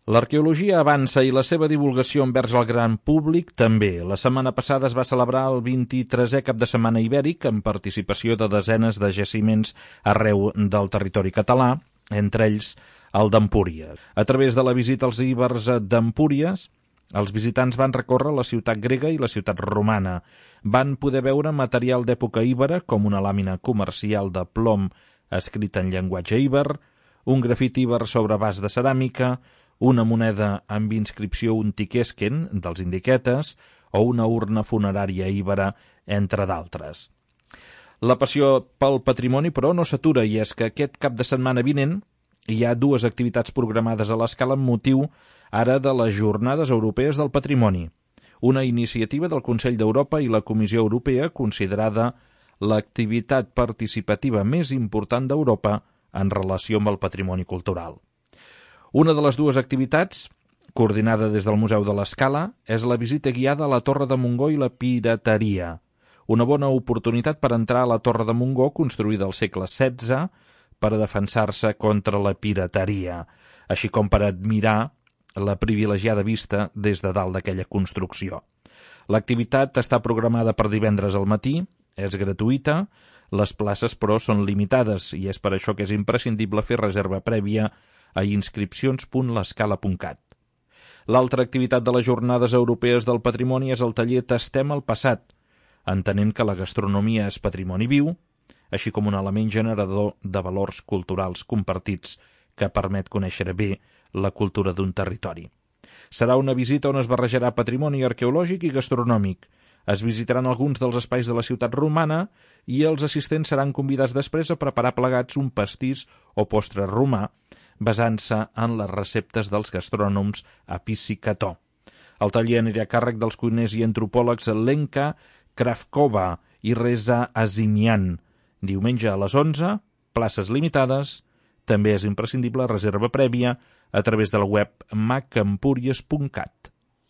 L'arqueologia avança i la seva divulgació envers el gran públic també. La setmana passada es va celebrar el 23è cap de setmana ibèric amb participació de desenes de jaciments arreu del territori català, entre ells el d'Empúries. A través de la visita als íbers d'Empúries, els visitants van recórrer la ciutat grega i la ciutat romana. Van poder veure material d'època íbera, com una làmina comercial de plom escrita en llenguatge íber, un grafit íber sobre vas de ceràmica, una moneda amb inscripció Untiquesquen dels indiquetes o una urna funerària íbera, entre d'altres. La passió pel patrimoni, però, no s'atura, i és que aquest cap de setmana vinent hi ha dues activitats programades a l'Escala amb motiu ara de les Jornades Europees del Patrimoni, una iniciativa del Consell d'Europa i la Comissió Europea considerada l'activitat participativa més important d'Europa en relació amb el patrimoni cultural. Una de les dues activitats, coordinada des del Museu de l'Escala, és la visita guiada a la Torre de Montgó i la pirateria, una bona oportunitat per entrar a la Torre de Montgó, construïda al segle XVI, per a defensar-se contra la pirateria, així com per admirar la privilegiada vista des de dalt d'aquella construcció. L'activitat està programada per divendres al matí, és gratuïta, les places, però, són limitades i és per això que és imprescindible fer reserva prèvia a inscripcions.l'escala.cat. L'altra activitat de les Jornades Europees del Patrimoni és el taller Tastem el passat, entenent que la gastronomia és patrimoni viu, així com un element generador de valors culturals compartits que permet conèixer bé la cultura d'un territori. Serà una visita on es barrejarà patrimoni arqueològic i gastronòmic. Es visitaran alguns dels espais de la ciutat romana i els assistents seran convidats després a preparar plegats un pastís o postre romà, basant-se en les receptes dels gastrònoms Apici Cató. El taller anirà a càrrec dels cuiners i antropòlegs Lenka Kravkova i Reza Azimian. Diumenge a les 11, places limitades, també és imprescindible reserva prèvia a través del web macempúries.cat.